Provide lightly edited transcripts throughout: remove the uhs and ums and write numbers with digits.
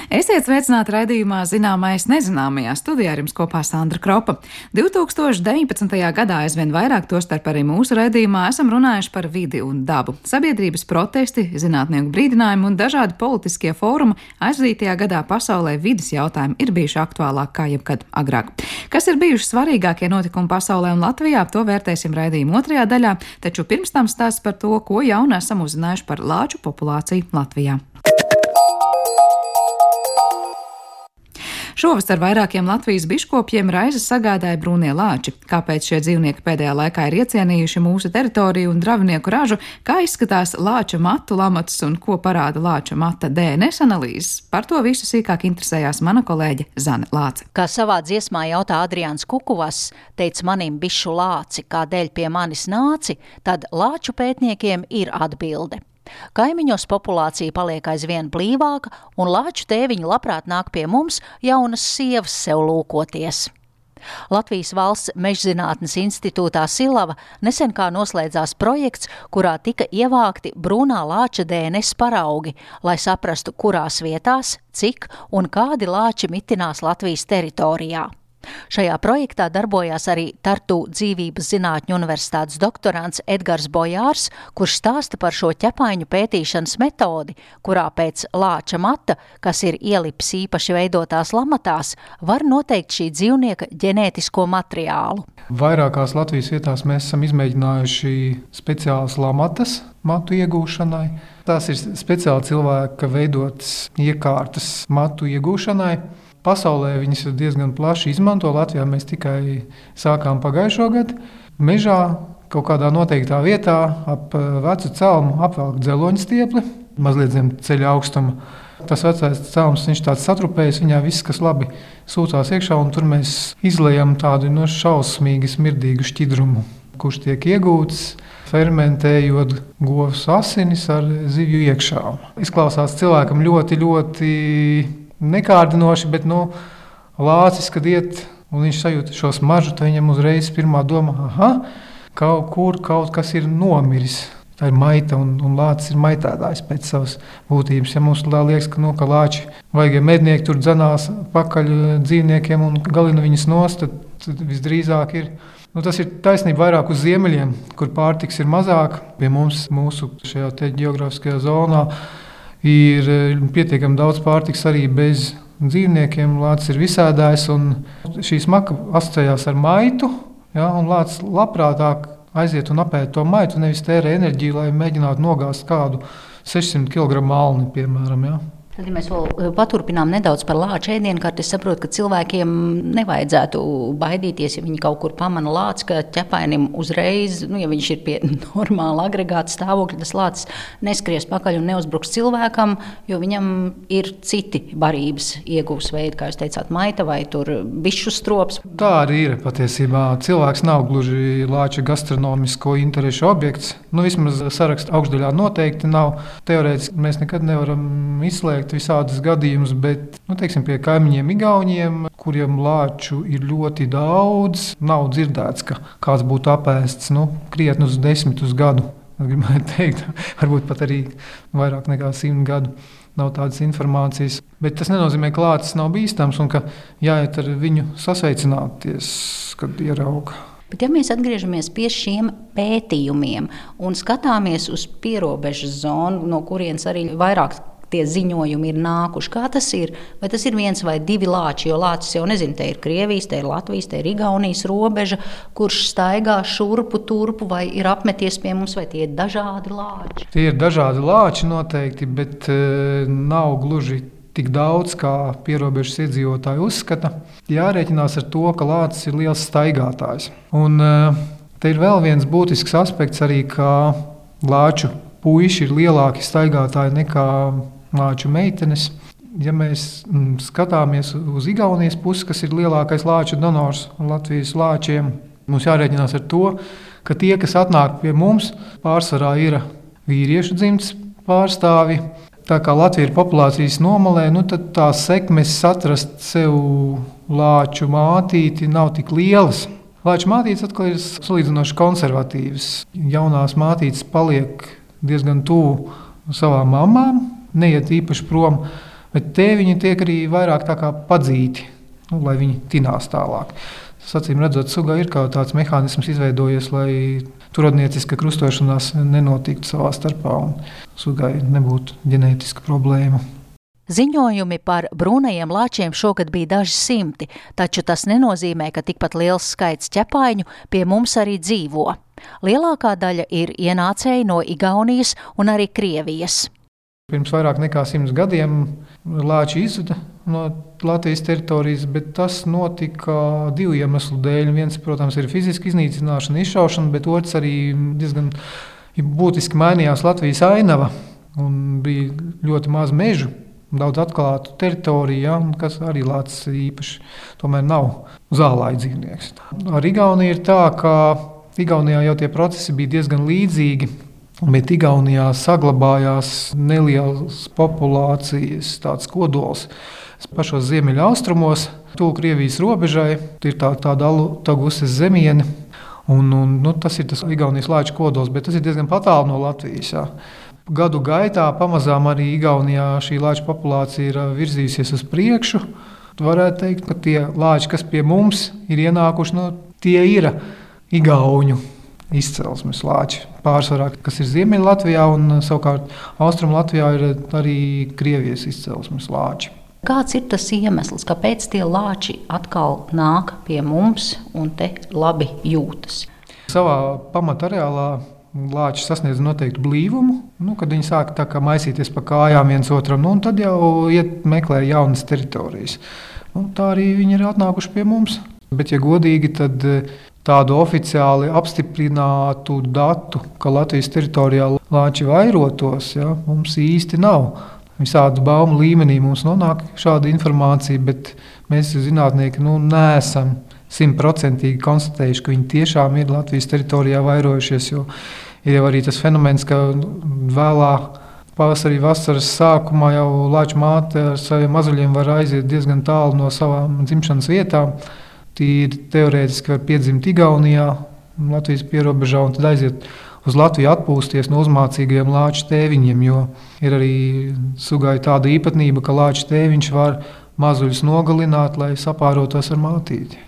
Esiet sveicināti raidījumā Zināmais nezināmajā. Studijā ar jums kopā Sandra Kropa. 2019. gadā aizvien vairāk, tostarp arī mūsu raidījumā, esam runājuši par vidi un dabu. Sabiedrības protesti, zinātnieku brīdinājumi un dažādi politiskie fórumi aizvadītajā gadā pasaulē vides jautājumi ir bijuši aktuālāk kā jebkad agrāk. Kas ir bijuši svarīgākie notikumi pasaulē un Latvijā, to vērtēsim raidījuma otrajā daļā, taču pirms tam stāsts par to, ko jaunu esam uzzinājuši par lāču populāciju Latvijā. Šovasar vairākiem Latvijas biškopiem raizes sagādāja brūnie lāči. Kāpēc šie dzīvnieki pēdējā laikā ir iecienījuši mūsu teritoriju un dravnieku ražu, kā izskatās lāča matu lamatus un ko parāda lāča mata DNS analīzes? Par to visu sīkāk interesējās mana kolēģe Zane Lāce. Kā savā dziesmā jautā Adriāns Kukuvas, teica manim bišu lāci, kādēļ pie manis nāci, tad lāču pētniekiem ir atbilde. Kaimiņos populācija paliek aizvien blīvāka, un lāču tēviņi labprāt nāk pie mums jaunas sievas sev lūkoties. Latvijas Valsts Mežzinātnes institūtā Silava nesen kā noslēdzās projekts, kurā tika ievākti brūnā lāča DNS paraugi, lai saprastu, kurās vietās, cik un kādi lāči mitinās Latvijas teritorijā. Šajā projektā darbojās arī Tartu dzīvības zinātņu universitātes doktorants Edgars Bojārs, kurš stāsta par šo ķepaiņu pētīšanas metodi, kurā pēc lāča mata, kas ir ielips īpaši veidotās lamatās, var noteikt šī dzīvnieka ģenētisko materiālu. Vairākās Latvijas vietās mēs esam izmēģinājuši speciālas lamatas matu iegūšanai. Tās ir speciāli cilvēka veidotas iekārtas matu iegūšanai. Pasaulē viņas ir diezgan plaši izmanto. Latvijā mēs tikai sākām pagājušo gadu. Mežā kaut kādā noteiktā vietā ap vecu celmu apvelk dzeloņu stiepli, mazliet zem ceļa augstuma. Tas vecais celms, viņš tāds satrupējis, viņā viss, kas labi sūcās iekšā, un tur mēs izlejam tādu šausmīgi smirdīgu šķidrumu, kurš tiek iegūts, fermentējot govs asinis ar zivju iekšā. Izklausās cilvēkam ļoti, ļoti nekārdinoši, bet lācis, kad iet un viņš sajūt šo smaržu, tad viņam uzreiz pirmā doma, kaut kas ir nomiris. Tā ir maita, un lācis ir maitētājs pēc savas būtības. Ja mums liekas, ka lāči vajag mednieki tur dzenās pakaļ dzīvniekiem un galina viņus nost, tad visdrīzāk ir. Tas ir taisnība vairāk uz ziemeļiem, kur pārtiks ir mazāk. Pie mums, mūsu šajā te ģeogrāfiskajā zonā, ir pietiekami daudz pārtiks arī bez dzīvniekiem. Lācis ir visēdājs, un šī smaka asociējās ar maitu, un lācis labprātāk aiziet un apēd to maitu, nevis tērē enerģiju, lai mēģinātu nogāzt kādu 600 kg malni, piemēram. Tad, ja mēs vēl paturpinām nedaudz par lāču ēdienkarti, es saprotu, ka cilvēkiem nevajadzētu baidīties, ja viņi kaut kur pamana lāci, ka ķepainim uzreiz, ja viņš ir pie normāla agregāta stāvokļa, tas lācis neskries pakaļ un neuzbruks cilvēkam, jo viņam ir citi barības iegūs veidi, kā jūs teicāt, maita vai tur bišu strops. Tā arī ir patiesībā. Cilvēks nav gluži lāča gastronomisko interešu objekts. Vismaz saraksta augšdaļā noteikti nav. Teorētiski mēs nekad nevaram izslēgt visādus gadījumus, bet, teiksim, pie kaimiņiem Igauniem, kuriem lāču ir ļoti daudz, nav dzirdēts, ka kāds būtu apēsts, krietni uz 10 gadu. Gribētu teikt, varbūt pat arī vairāk nekā 100 gadu nav tādas informācijas. Bet tas nenozīmē, ka lācis nav bīstams un ka jāiet ar viņu sasveicināties, kad ierauga. Bet ja mēs atgriežamies pie šiem pētījumiem un skatāmies uz pierobežas zonu, no kurienes arī vairāk tie ziņojumi ir nākuši. Kā tas ir? Vai tas ir viens vai divi lāči? Jo lācis jau nezinu, te ir Krievijas, te ir Latvijas, te ir Igaunijas robeža, kurš staigā šurpu turpu, vai ir apmeties pie mums, vai tie ir dažādi lāči? Tie ir dažādi lāči noteikti, bet nav gluži tik daudz, kā pierobežas iedzīvotāji uzskata. Jārēķinās ar to, ka lācis ir liels staigātājs. Un te ir vēl viens būtisks aspekts arī, ka lāču puiši ir lielāki staigātāji nekā lāču meitenes. Ja mēs skatāmies uz Igaunijas pusi, kas ir lielākais lāču donors Latvijas lāčiem, mums jārēķinās ar to, ka tie, kas atnāk pie mums, pārsvarā ir vīriešu dzimtes pārstāvi. Tā kā Latvija ir populācijas nomalē, tad tās sekmes atrast sev lāču mātīti nav tik lielas. Lāču mātītes atkal ir salīdzinoši konservatīvas. Jaunās mātītes paliek diezgan tuvu savām mamām, neiet īpaši prom. Bet tēviņi tiek arī vairāk tā kā padzīti, lai viņi tinās tālāk. Acīm redzot, sugā ir kaut tāds mehānisms izveidojies, lai turodnieciska krustošanās nenotiktu savā starpā un sugai nebūtu ģenētiska problēma. Ziņojumi par brūnajiem lāčiem šogad bija daži simti, taču tas nenozīmē, ka tikpat liels skaits ķepaiņu pie mums arī dzīvo. Lielākā daļa ir ienācēji no Igaunijas un arī Krievijas. Pirms vairāk nekā 100 gadiem lāči izzuda no Latvijas teritorijas, bet tas notika 2 iemeslu dēļ. Viens, protams, ir fiziska iznīcināšana, izšaušana, bet otrs arī diezgan būtiski mainījās Latvijas ainava un bija ļoti maz mežu, daudz atklātu teritoriju, kas arī lācis īpaši tomēr nav zālāju dzīvnieks. Ar Igauniju ir tā, ka Igaunijā jau tie procesi bija diezgan līdzīgi, bet Igaunijā saglabājās nelielas populācijas tāds kodols. Pašos ziemeļa austrumos, tuvu Krievijas robežai, ir tāda Alutaguses zemiene, un tas ir tas Igaunijas lāču kodols, bet tas ir diezgan tālu no Latvijas. Jā. Gadu gaitā pamazām arī Igaunijā šī lāču populācija ir virzījusies uz priekšu. Varētu teikt, ka tie lāči, kas pie mums ir ienākuši, tie ir igauņu izcelsmes lāči. Pārsvarā, kas ir Ziemeļa Latvijā, un savukārt Austrum Latvijā ir arī Krievijas izcelsmes lāči. Kāds ir tas iemesls, kāpēc tie lāči atkal nāk pie mums un te labi jūtas? Savā pamatareālā lāči sasniedz noteiktu blīvumu, kad viņi sāk tā kā maisīties pa kājām viens otram, un tad jau meklē jaunas teritorijas. Tā arī viņi ir atnākuši pie mums. Bet, ja godīgi, tad tādu oficiāli apstiprinātu datu, ka Latvijas teritorijā lāči vairotos, mums īsti nav. Visādu baumu līmenī mums nonāk šāda informācija, bet mēs zinātnieki neesam 100% konstatējuši, ka viņi tiešām ir Latvijas teritorijā vairojušies, jo ir jau arī tas fenomens, ka vēlā pavasarī vasaras sākumā jau lāču māte ar saviem mazuļiem var aiziet diezgan tālu no savām dzimšanas vietām. Tīri teorētiski var piedzimt Igaunijā, Latvijas pierobežā, un tad aiziet uz Latviju atpūsties no uzmācīgajiem lāču tēviņiem, jo ir arī sugai tāda īpatnība, ka lāču tēviņš var mazuļus nogalināt, lai sapārotos ar mātīti.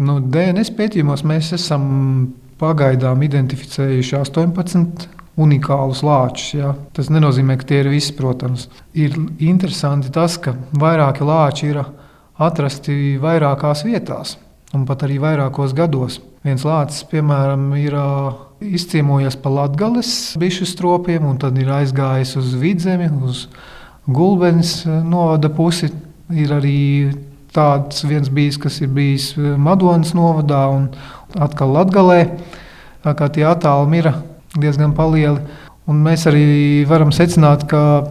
DNS pētījumos mēs esam pagaidām identificējuši 18 unikālus lāčus. Ja? Tas nenozīmē, ka tie ir visi, protams. Ir interesanti tas, ka vairāki lāči ir atrasti vairākās vietās un pat arī vairākos gados. Viens lācis, piemēram, ir izciemojies pa Latgales bišu stropiem un tad ir aizgājis uz Vidzemi, uz Gulbenes novada pusi. Ir arī tāds viens bijis, kas ir bijis Madonas novadā un atkal Latgalē. Tā kā tie attālumi ir diezgan palieli. Un mēs arī varam secināt, ka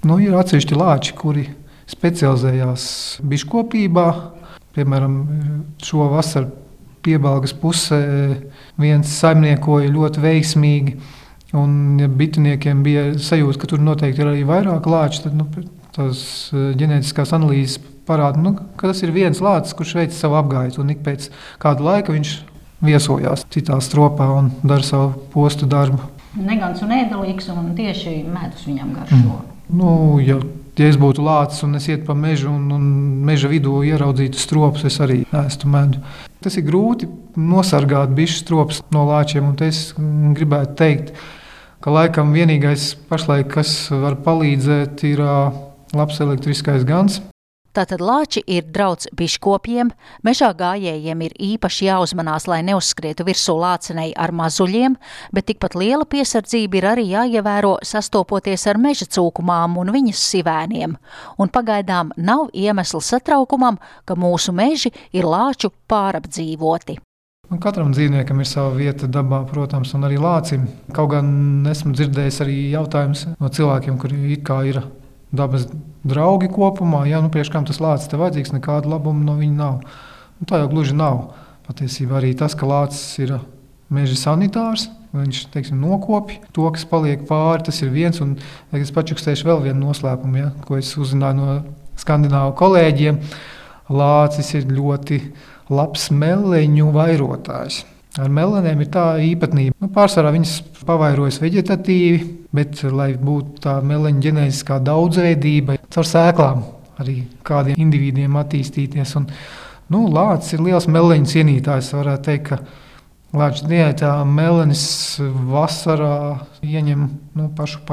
ir atsevišķi lāči, kuri specializējās biškopībā. Piemēram, šo vasaru Piebalgas pusē viens saimniekoja ļoti veiksmīgi, un ja bituniekiem bija sajūta, ka tur noteikti ir arī vairāk lāči, tad tās ģenētiskās analīzes parāda, ka tas ir viens lācis, kurš veic savu apgaitu, un ik pēc kāda laika viņš viesojās citā stropā un dara savu postu darbu. Negans un ēdelīgs, un tieši medus viņam garšo. Ja es būtu lācis un es ietu pa mežu un meža vidū ieraudzītu stropus, es arī ēstu medu. Tas ir grūti nosargāt bišu stropus no lāčiem, un es gribētu teikt, ka laikam vienīgais pašlaik, kas var palīdzēt, ir labs elektriskais gans. Tātad lāči ir drauds biškopiem, mežā gājējiem ir īpaši jāuzmanās, lai neuzskrietu virsū lācenei ar mazuļiem, bet tikpat liela piesardzība ir arī jāievēro sastopoties ar meža cūkumām un viņas sivēniem. Un pagaidām nav iemesla satraukumam, ka mūsu meži ir lāču pārapdzīvoti. Katram dzīvniekam ir sava vieta dabā, protams, un arī lācim. Kaut gan esmu dzirdējis arī jautājumus no cilvēkiem, kuri it kā ir dabas draugi kopumā, priekš kam tas lācis te vajadzīgs, nekāda labuma no viņa nav. Tā jau gluži nav. Patiesībā arī tas, ka lācis ir meža sanitārs, viņš, nokopj to, kas paliek pāri, tas ir viens, un es pačukstēšu vēl vienu noslēpumu, ko es uzzināju no skandināvu kolēģiem. Lācis ir ļoti labs meleņu vairotājs. Ar melenēm ir tā īpatnība. Pārsvarā viņas pavairojas veģetatīvi, bet, lai būtu tā meleņa ģenētiskā daudzveidība, caur sēklām arī kādiem individiem attīstīties. Un, lācis ir liels meleņu cienītājs. Varētu teikt, ka lāča diētā melenis vasarā ieņem pašu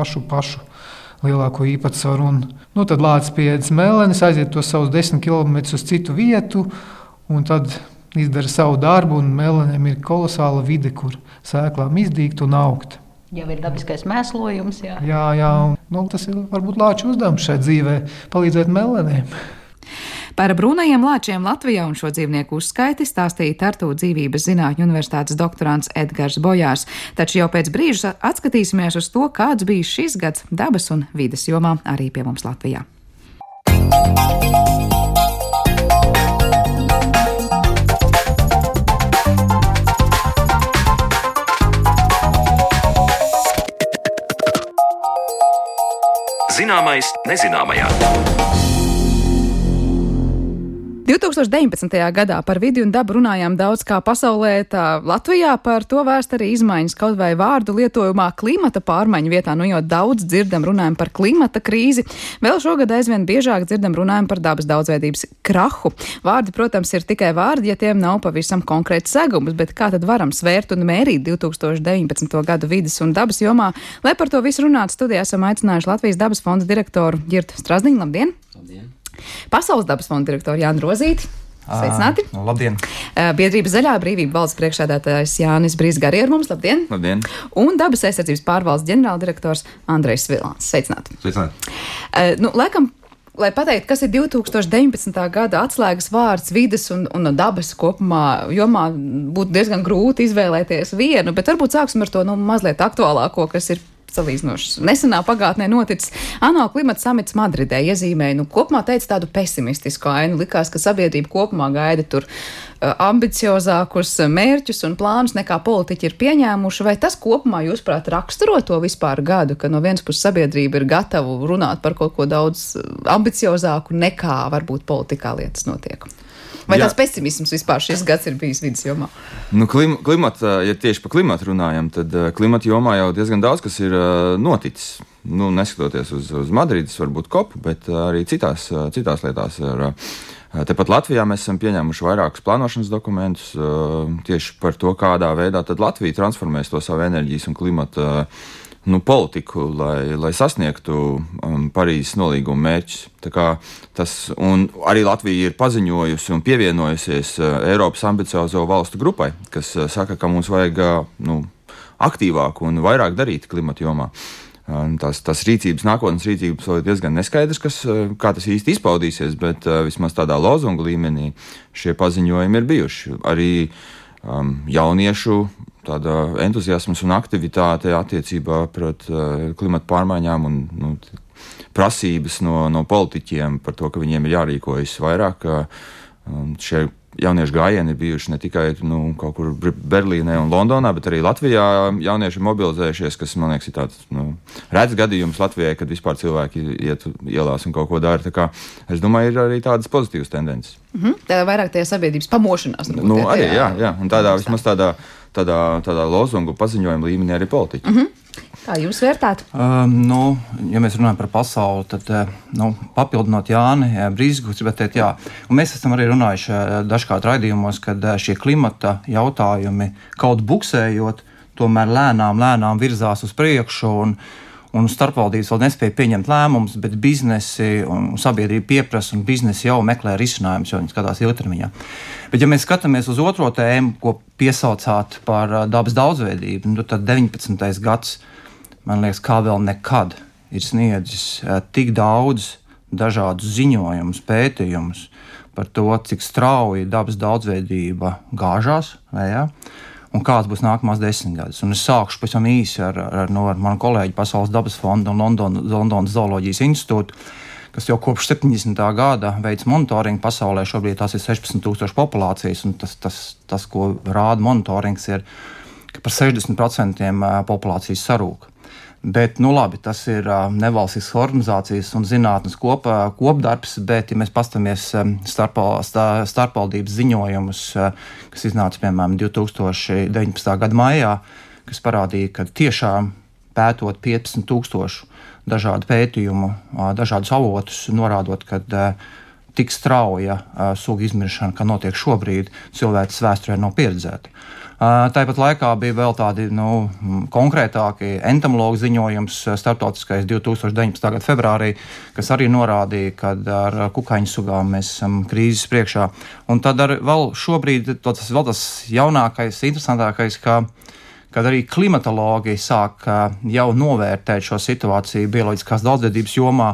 lielāko īpatsvaru. Tad lācis pieēdis melenis, aiziet to savus 10 km uz citu vietu, un tad izdara savu darbu, un melenēm ir kolosāla vide, kur sēklām izdīgt un augt. Jau ir dabiskais mēslojums, jā. Jā, tas ir varbūt lāču uzdevums šai dzīvē, palīdzēt melenēm. Par brūnajiem lāčiem Latvijā un šo dzīvnieku uzskaiti stāstīja Tartu dzīvības zinātņu universitātes doktorants Edgars Bojārs. Taču jau pēc brīža atskatīsimies uz to, kāds bija šis gads dabas un vides jomā arī pie mums Latvijā. Zināmais nezināmajā. 2019. gadā par vidi un dabu runājām daudz kā pasaulē, tā Latvijā par to vērst arī izmaiņas kaut vai vārdu lietojumā klimata pārmaiņu vietā, jau daudz dzirdam runājam par klimata krīzi. Vēl šogad aizvien biežāk dzirdam runājam par dabas daudzveidības krahu. Vārdi, protams, ir tikai vārdi, ja tiem nav pavisam konkrēts segums, bet kā tad varam svērt un mērīt 2019. gadu vides un dabas jomā? Lai par to visu runātu, studijā esam aicinājuši Latvijas dabas fonda direktoru Girtu Strazdiņu. Labdien! Labdien! Pasaules dabas fonda direktoru Jānu Rozīti. Sveicināti! Labdien! Biedrības Zaļā brīvība valdes priekšsēdētājs Jānis Brīsga arī ar mums. Labdien! Labdien! Un dabas aizsardzības pārvaldes ģenerāldirektors Andrejs Svilāns. Sveicināti! Sveicināti! Laikam, lai pateiktu, kas ir 2019. gada atslēgas vārds vides un dabas kopumā jomā, būtu diezgan grūti izvēlēties vienu, bet varbūt sāksim ar to mazliet aktuālāko, kas ir salīdzinoši nesenā pagātnē noticis. ANO klimata samits Madridē iezīmēja, kopumā teica tādu pesimistisku ainu. Likās, ka sabiedrība kopumā gaida tur ambiciozākus mērķus un plānus nekā politiķi ir pieņēmuši. Vai tas kopumā, jūsuprāt, raksturo to vispār gadu, ka no vienas puses sabiedrība ir gatava runāt par kaut ko daudz ambiciozāku nekā varbūt politikā lietas notiek? Vai tāds pesimisms vispār šis gads ir bijis vidas jomā? Ja tieši par klimatu runājam, tad klimata jomā jau diezgan daudz kas ir noticis. Neskatoties uz Madrides, varbūt kopu, bet arī citās lietās. Tepat Latvijā mēs esam pieņēmuši vairākus plānošanas dokumentus tieši par to, kādā veidā tad Latvija transformēs to savu enerģijas un klimata politiku, lai sasniegtu Parīzes nolīguma mērķus. Un arī Latvija ir paziņojusi un pievienojusies Eiropas ambiciozo valstu grupai, kas saka, ka mums vajag aktīvāk un vairāk darīt klimata jomā. Tas nākotnes rīcības vēl ir diezgan neskaidrs, kā tas īsti izpaudīsies, bet vismaz tādā lozungu līmenī šie paziņojumi ir bijuši. Arī jauniešu tāda entuziasmas un aktivitāte attiecībā pret klimata pārmaiņām un prasības no politiķiem par to, ka viņiem ir jārīkojas vairāk. Šie jauniešu gājieni ir bijuši ne tikai kaut kur Berlīnē un Londonā, bet arī Latvijā jaunieši ir mobilizējušies, kas, man liekas, ir tāds rēts gadījums Latvijai, kad vispār cilvēki iet ielās un kaut ko dara. Es domāju, ir arī tādas pozitīvas tendences. Tā vairāk tajā sabiedrības pamošanās. Arī, jā. Un vismaz tādā lozungu paziņojuma līmenī arī politiķi. Kā jūs vērtētu? Ja mēs runājam par pasauli, tad papildinot Jāni Brīsgu, gribētu teikt, jā. Un mēs esam arī runājuši dažkārt raidījumos, kad šie klimata jautājumi kaut buksējot, tomēr lēnām virzās uz priekšu un starpvaldības vēl nespēja pieņemt lēmumus, bet biznesi un sabiedrība pieprasa un biznesi jau meklē risinājumus, jo viņi skatās ilgtermiņā. Bet ja mēs skatāmies uz otro tēmu, ko piesaucāt par dabas daudzveidību, tad 19. gads, man liekas, kā vēl nekad ir sniedzis tik daudz dažādus ziņojumus, pētījumus par to, cik strauji dabas daudzveidība gāžās, un kāds būs nākamās 10 gadus. Un es sākšu pavisam īsi ar manu kolēģi Pasaules dabas fonda un Londonas zooloģijas institūtu, kas jau kopš 70. gada veids monitoringu pasaulē. Šobrīd tās ir 16,000 populācijas, un tas, ko rāda monitorings, ir, ka par 60% populācijas sarūk. Bet, labi, tas ir nevalstiskas organizācijas un zinātnes kopdarbs, bet, ja mēs paskatāmies starpvaldības ziņojumus, kas iznāca, piemēram, 2019. gada maijā, kas parādīja, ka tiešām pētot 15,000 dažādu pētījumu, dažādus avotus, norādot, ka tik strauja sugu izmiršana, kā notiek šobrīd, cilvēces vēsturē nav pieredzēta. Tāpat laikā bija vēl tādi konkrētāki entomologu ziņojums starptautiskais 2019. gada februārī, kas arī norādīja, ka ar kukaiņu sugām mēs esam krīzes priekšā. Un tad vēl šobrīd tas vēl tas jaunākais, interesantākais, kad arī klimatologi sāk jau novērtēt šo situāciju bioloģiskās daudzveidības jomā.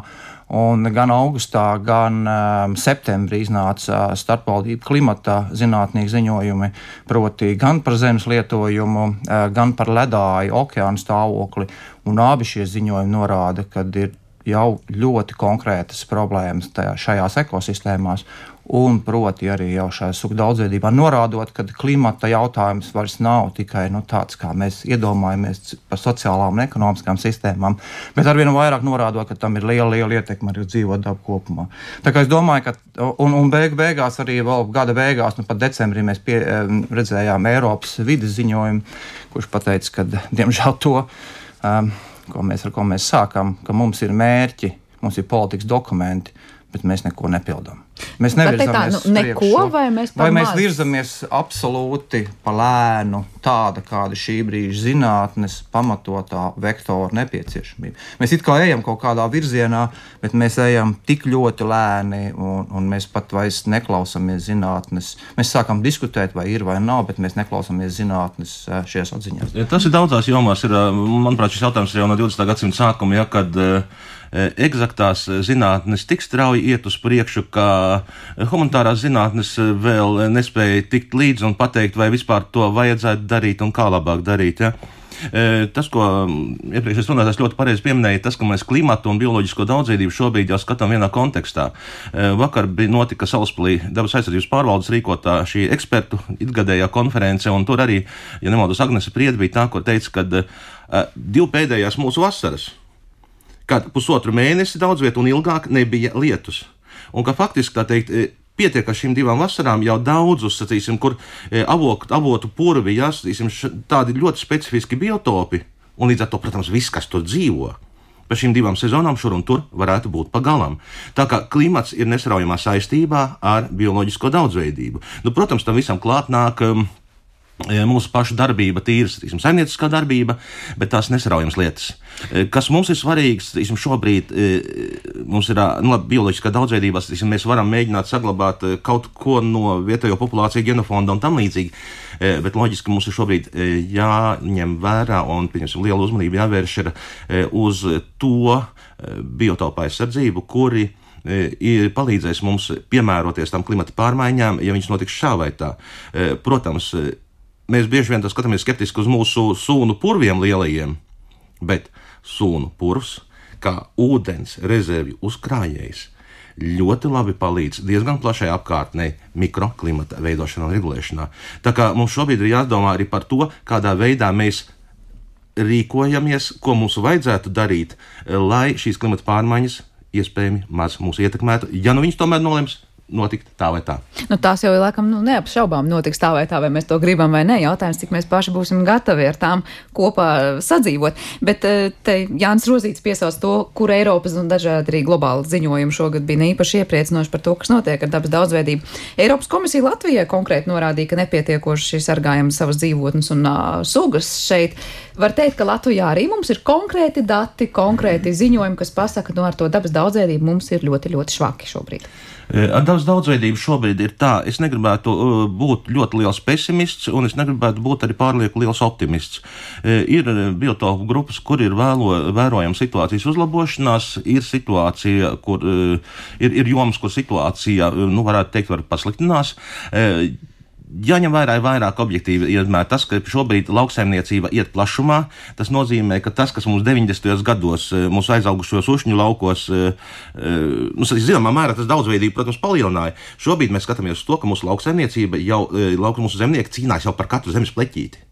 Un gan augustā, gan septembrī iznāca starpvaldību klimata zinātnieki ziņojumi, proti gan par zemes lietojumu, gan par ledāju okeānu stāvokli. Un abi šie ziņojumi norāda, ka ir jau ļoti konkrētas problēmas šajās ekosistēmās. Un, proti, arī jau šajā sugu daudzveidībā norādot, ka klimata jautājums vairs nav tikai tāds, kā mēs iedomājamies par sociālām un ekonomiskām sistēmām, bet arvien vairāk norādot, ka tam ir liela ietekme arī uz dzīvo dabu kopumā. Tā kā es domāju, ka un beigās arī vēl gada beigās, pat decembrī mēs redzējām Eiropas vides ziņojumu, kurš pateica, ka diemžēl to, ar ko mēs sākam, ka mums ir mērķi, mums ir politikas dokumenti, bet mēs neko nepildām. Mēs nevirzamies vai mēs virzamies absolūti pa lēnu tāda, kāda šī brīža zinātnes pamatotā vektora nepieciešamība. Mēs it kā ejam kaut kādā virzienā, bet mēs ejam tik ļoti lēni un mēs pat vairs neklausāmies zinātnes. Mēs sākam diskutēt, vai ir vai nav, bet mēs neklausāmies zinātnes šajās atziņās. Tas ir daudzās jomās. Manuprāt, šis jautājums ir jau no 20. gadsimta sākuma, kad eksaktās zinātnes tik strauji iet uz priekšu, ka humanitārās zinātnes vēl nespēja tikt līdzi un pateikt, vai vispār to vajadzētu darīt un kā labāk darīt. Ja? Tas, ko iepriekšējais runātājs ļoti pareizi pieminēja, tas, ka mēs klimatu un bioloģisko daudzveidību šobrīd jau skatām vienā kontekstā. Vakar notika Salaspilī dabas aizsardzības pārvaldes rīkotā šī ekspertu ikgadējā konference, un tur arī, ja nemaldos, Agnese Priede bija tā, kur teica, ka 2 pēdējās mūsu vasaras, kad 1,5 mēnesi daudz vietu un ilgāk nebija lietus. Un ka faktiski, tā teikt, pietiek ar šīm 2 vasarām jau daudzus, sacīsim, kur avotu purvi, tādi ļoti specifiski biotopi, un līdz ar to, protams, viss, kas tur dzīvo, pa šīm 2 sezonām šur un tur varētu būt pa galam. Tā kā klimats ir nesaraujamā saistībā ar bioloģisko daudzveidību. Protams, tam visam klāt nāk mūsu pašu darbība, tīras, saimnieciskā darbība, bet tās nesaraujams lietas. Kas mums ir svarīgs, šobrīd mums ir bioloģiskā daudzveidībā, mēs varam mēģināt saglabāt kaut ko no vietējo populāciju genofonda un tam līdzīgi, bet loģiski mums ir šobrīd jāņem vērā un, pieņemsim, liela uzmanība jāvērš uz to biotopu aizsardzību, kuri palīdzēs mums piemēroties tam klimata pārmaiņām, ja viņš notiks šā vai tā. Protams, mēs bieži vien skatāmies skeptiski uz mūsu sūnu purviem lielajiem, bet sūnu purvs, kā ūdens rezervju uzkrājējs, ļoti labi palīdz diezgan plašai apkārtnei mikroklimata veidošanā un regulēšanā. Tā kā mums šobrīd ir jādomā arī par to, kādā veidā mēs rīkojamies, ko mums vajadzētu darīt, lai šīs klimata pārmaiņas iespējami maz mūs ietekmētu, ja viņas tomēr nolems notikt tā vai tā. Tās jau ir laikam neapšaubām notiks tā, vai mēs to gribam vai ne. Jautājums, cik mēs paši būsim gatavi ar tām kopā sadzīvot. Bet te Jānis Rozīts piesauc to, kur Eiropas un dažādi arī globāli ziņojumi šogad bija īpaši iepriecinoši par to, kas notiek ar dabas daudzveidību. Eiropas komisija Latvijai konkrēti norādīja, ka nepietiekoši sargājam savas dzīvotnes un sugas šeit. Var teikt, ka Latvijā arī mums ir konkrēti dati, konkrēti ziņojumi, kas pasaka, ar to dabas daudzveidību mums ir ļoti, ļoti švaki šobrīd. Ar dabas daudzveidību šobrīd ir tā, es negribētu būt ļoti liels pesimists, un es negribētu būt arī pārlieku liels optimists. Ir biotopu grupas, kur ir vērojama situācijas uzlabošanās, ir situācija, kur ir jomas, kur situācija, varētu teikt, var pasliktinās. Jāņem vērā vairāk objektīvi iedomā tas, ka šobrīd lauksaimniecība iet plašumā. Tas nozīmē, ka tas, kas mums 90. gados mūsu aizaugušos ušņu laukos, zināmā mērā tas daudzveidību, protams, palielināja. Šobrīd mēs skatāmies uz to, ka mūsu lauksaimniecība jau, mūsu zemnieki cīnās jau par katru zemes pleķīti.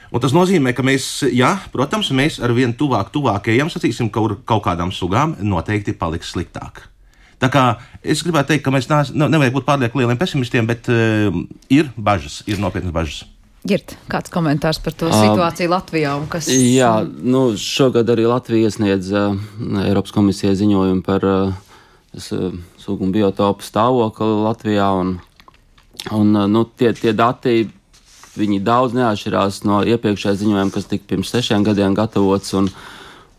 Un tas nozīmē, ka mēs, protams, mēs ar vien tuvāk ejam, sacīsim, kaut kādām sugām noteikti paliks sliktāk. Tā kā es gribētu teikt, ka mēs nevajag būt pārlieku lieliem pesimistiem, bet ir bažas, ir nopietnas bažas. Girt, kāds komentārs par to situāciju Latvijā? Jā, šogad arī Latvija iesniedz Eiropas komisijai ziņojumu par sugu un biotopu stāvokli Latvijā, un tie dati, viņi daudz neatšķirās no iepriekšējā ziņojuma, kas tika pirms 6 gadiem gatavots,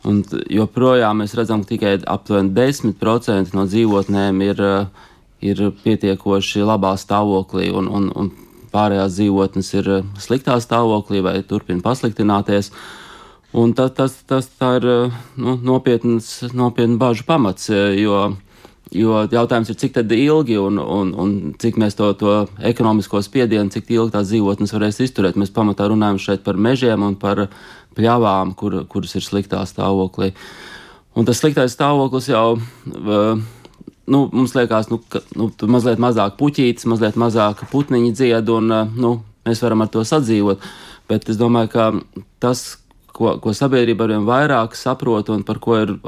un joprojām mēs redzam, ka tikai aptuveni 10% no dzīvotnēm ir pietiekoši labā stāvoklī, un pārējās dzīvotnes ir sliktā stāvoklī vai turpina pasliktināties. Un tā ir nopietna bažu pamats, jo jautājums ir, cik tad ilgi un cik mēs to ekonomisko spiedienu, cik ilgi tās dzīvotnes varēs izturēt. Mēs pamatā runājam šeit par mežiem un par pļavām, kuras ir sliktā stāvoklī. Un tas sliktais stāvoklis jau, mums liekas, mazliet mazāk puķītis, mazliet mazāk putniņi dzied, un mēs varam ar to sadzīvot. Bet es domāju, ka tas, ko sabiedrība arvien vairāk saprot un par ko ir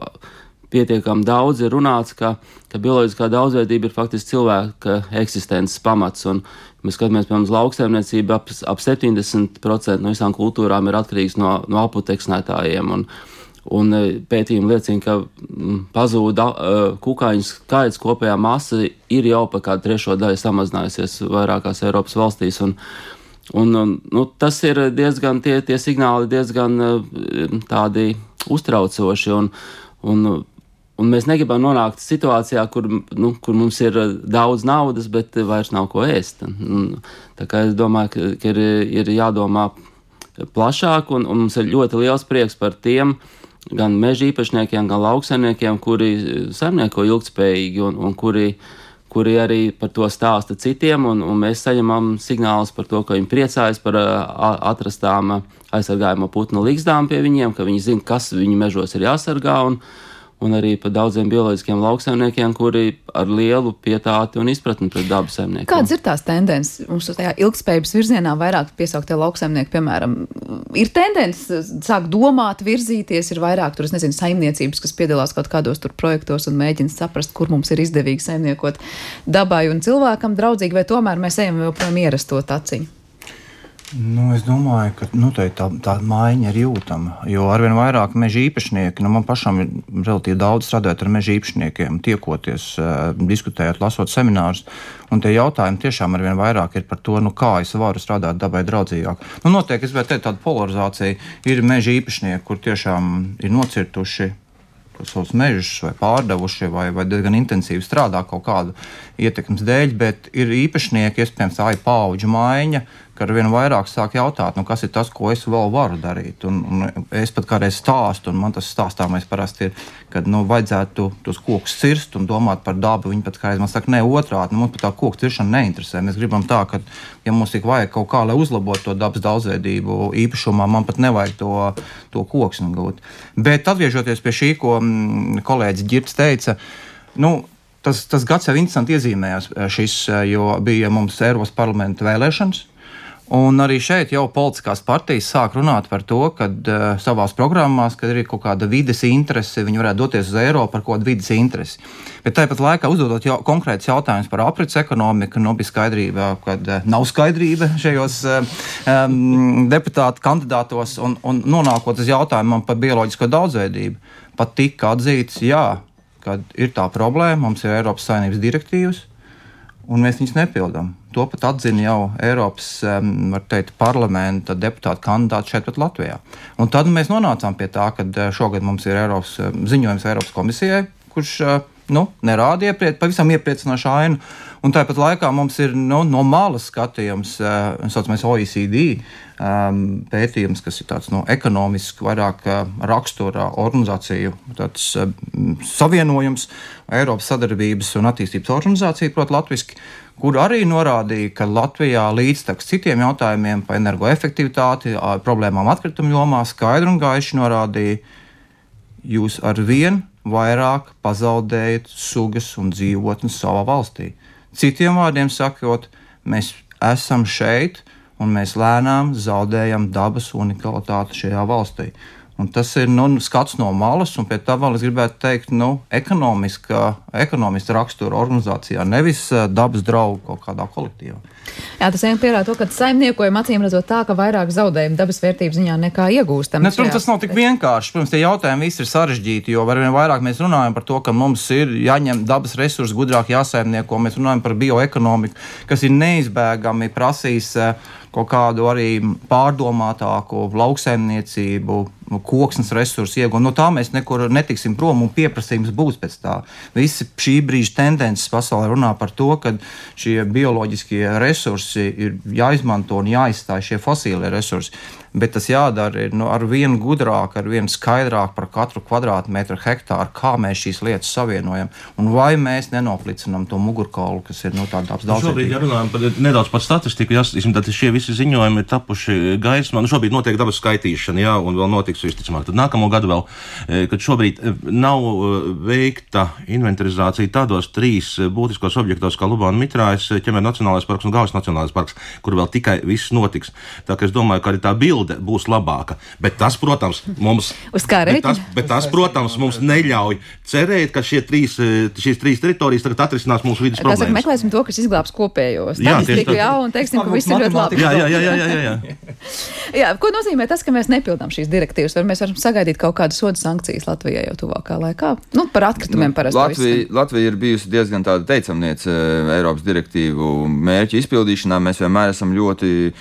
pietiekami daudz ir runāts, ka bioloģiskā daudzveidība ir faktiski cilvēka eksistences pamats. Un mēs skatāmies, piemēram, uz lauksaimniecību, ap 70% no visām kultūrām ir atkarīgs no aputeksnētājiem. Un pētījumi liecina, ka pazūda kukaiņu skaits, kopējā masa ir jau pa kādu 1/3 samazinājusies vairākās Eiropas valstīs. Un tas ir diezgan, tie signāli diezgan tādi uztraucoši. Un mēs negribam nonākt situācijā, kur mums ir daudz naudas, bet vairs nav ko ēst. Tā kā es domāju, ka ir jādomā plašāk, un mums ir ļoti liels prieks par tiem gan meža īpašniekiem, gan lauksaimniekiem, kuri saimnieko ilgtspējīgi un kuri arī par to stāsta citiem, un mēs saņemam signālus par to, ka viņi priecājas par atrastām aizsargājamo putnu ligzdām pie viņiem, ka viņi zina, kas viņu mežos ir jāsargā, un arī par daudziem bioloģiskiem lauksaimniekiem, kuri ar lielu pietāti un izpratni pret dabu saimniekiem. Kādas ir tās tendences? Mums tajā ilgspējības virzienā vairāk piesauktie lauksaimnieki, piemēram, ir tendences sāk domāt, virzīties, ir vairāk tur, saimniecības, kas piedalās kaut kādos tur projektos un mēģina saprast, kur mums ir izdevīgi saimniekot dabai un cilvēkam draudzīgi, vai tomēr mēs ejam joprojām ierasto taciņu? Es domāju, ka tā maiņa ir jūtama, jo arvien vairāk meža īpašnieki, man pašam ir relatīvi daudz strādājot ar meža īpašniekiem, tiekoties, diskutējot, lasot seminārus, un tie jautājumi tiešām arvien vairāk ir par to, kā es varu strādāt dabai draudzīgāk. Notiek, es gribētu teikt, tāda polarizācija, ir meža īpašnieki, kur tiešām ir nocirtuši savus mežus vai pārdevuši vai diezgan intensīvi strādā kaut kādu ietekmes dēļ, bet ir īpašnieki, iespējams, tā ir paudžu maiņa, ka ar vien vairāk sāk jautāt, kas ir tas, ko es vēl varu darīt. Un es pat kādreiz stāstu, un man tas stāstāmais parasti ir, kad vajadzētu tos kokus cirst un domāt par dabu. Viņi pat kādreiz man saka, ne otrādi, mums pat tā koku ciršana neinteresē. Mēs gribam tā, ka, ja mums tik vajag kaut kā, lai uzlabotu to dabas daudzveidību īpašumā, man pat nevajag to koksni gūt. Bet atgriežoties pie šī, ko kolēģis Girts teica, tas gads jau interesanti iezīmējās šis, jo bija mums Eiropas parlamenta vēlēšanas. Un arī šeit jau politiskās partijas sāk runāt par to, kad savās programmās, kad ir kaut kāda vides interese, viņi varētu doties uz Eiropu par kaut kādu vides interesi. Bet tāpat laikā uzdodot konkrēts jautājums par aprits ekonomiku, bija skaidrība, kad nav skaidrība šajos deputātu kandidātos, un nonākot uz jautājumam par bioloģisko daudzveidību, pat tika atzīts, kad ir tā problēma, mums ir Eiropas Savienības direktīvas, un mēs viņus nepildām. To pat atzina jau Eiropas, var teikt, parlamenta deputātu kandidāti šeit pat Latvijā. Un tad mēs nonācām pie tā, ka šogad mums ir ziņojums Eiropas komisijai, kurš nerāda pavisam iepriecinošu ainu. Un tāpat laikā mums ir no malas skatījums, saucamais OECD pētījums, kas ir tāds ekonomiski vairāk rakstura organizāciju savienojums, Eiropas sadarbības un attīstības organizācija, proti latviski, kur arī norādīja, ka Latvijā līdztekus citiem jautājumiem par energoefektivitāti, problēmām atkritumu jomā skaidri un gaiši norādīja, jūs arvien vairāk pazaudējat sugas un dzīvotnes savā valstī. Citiem vārdiem sakot, mēs esam šeit un mēs lēnām zaudējam dabas unikalitāti šajā valstī. Un tas ir skats no malas, un pie tā vēl es gribētu teikt, ekonomiska rakstura organizācijā, nevis dabas draugu kaut kādā kolektīvā. Jā, tas vien pierāda to, ka saimniekojam acīm redzot tā, ka vairāk zaudējumu dabas vērtības ziņā nekā iegūstam. Protams, tas nav tik vienkārši. Protams, tie jautājumi visi ir sarežģīti, jo arvien vairāk mēs runājam par to, ka mums ir jāņem dabas resursi, gudrāk jāsaimnieko. Mēs runājam par bioekonomiku, kas ir neizbēgami prasīs kaut kādu arī pārdomātāku lauksaimniecību, koksnes resursu iegūšanu. No tā mēs nekur netiksim prom un pieprasījums būs pēc tā. Visi šī brīža tendences pasaulē runā par to, ka šie bioloģiskie resursi ir jāizmanto un jāizstāj šie fosīlie resursi. Bet tas jādara ar vien gudrāk, ar vien skaidrāk par katru kvadrātmetru hektāru, kā mēs šīs lietas savienojam. Un vai mēs nenoplicinām to mugurkaulu, kas ir tāda daudz. Šobrīd, ja runājam nedaudz par statistiku, tad šie visi ziņojumi ir tapuši gaismā. Šobrīd notiek dabas skaitīšana, jā, un vēl notiks visticamāk. Tad nākamo gadu vēl, kad šobrīd nav veikta inventarizācija tādos 3 būtiskos objektos kā Lubāna Mitrājas, Ķemeru Nacionālais parks un Gaujas Nacionālais parks, kur vēl tikai viss notiks. Tā kā es domāju, ka arī tā bilde būs labāka. Bet tas, protams, mums neļauj cerēt, ka šīs 3 teritorijas tagad atrisinās mūsu vidas problēmas. Tā saka, meklēsim to, kas izglābs kopējos. Jā, statistiku, un teiksim, ka viss ir ļoti labi. Jā. Jā, ko nozīmē tas, ka mēs nepildām šīs direktīvas? Vai mēs varam sagaidīt kaut kādu sodu sankcijas Latvijai jau tuvākā laikā? Par atkritumiem parasti. Latvija ir bijusi diezgan tāda teicamniece Eiropas direktīvu mērķu izpildīšanā. Mēs vienmēr esam ļoti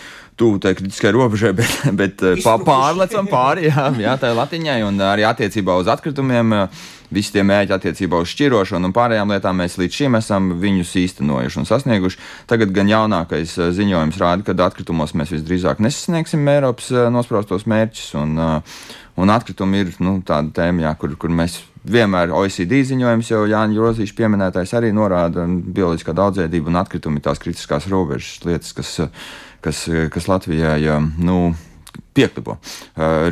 tuvu tai kritiskai robežai, bet pārlecam pāri, jā, tai latiņai, un arī attiecībā uz atkritumiem, visi tie mērķi attiecībā uz šķirošanu un pārējām lietām mēs līdz šim esam viņus īstenojuši un sasnieguši. Tagad gan jaunākais ziņojums rāda, ka atkritumos mēs visdrīzāk nesasniegsim Eiropas nospraustos mērķus, un atkritumi ir tāda tēma, jā, kur mēs vienmēr OECD ziņojums jau Jāņa Grozīša pieminētais arī norāda bioloģiskā daudzveidība un atkritumi tās kritiskās robežas lietas, kas Latvijā pieklipo.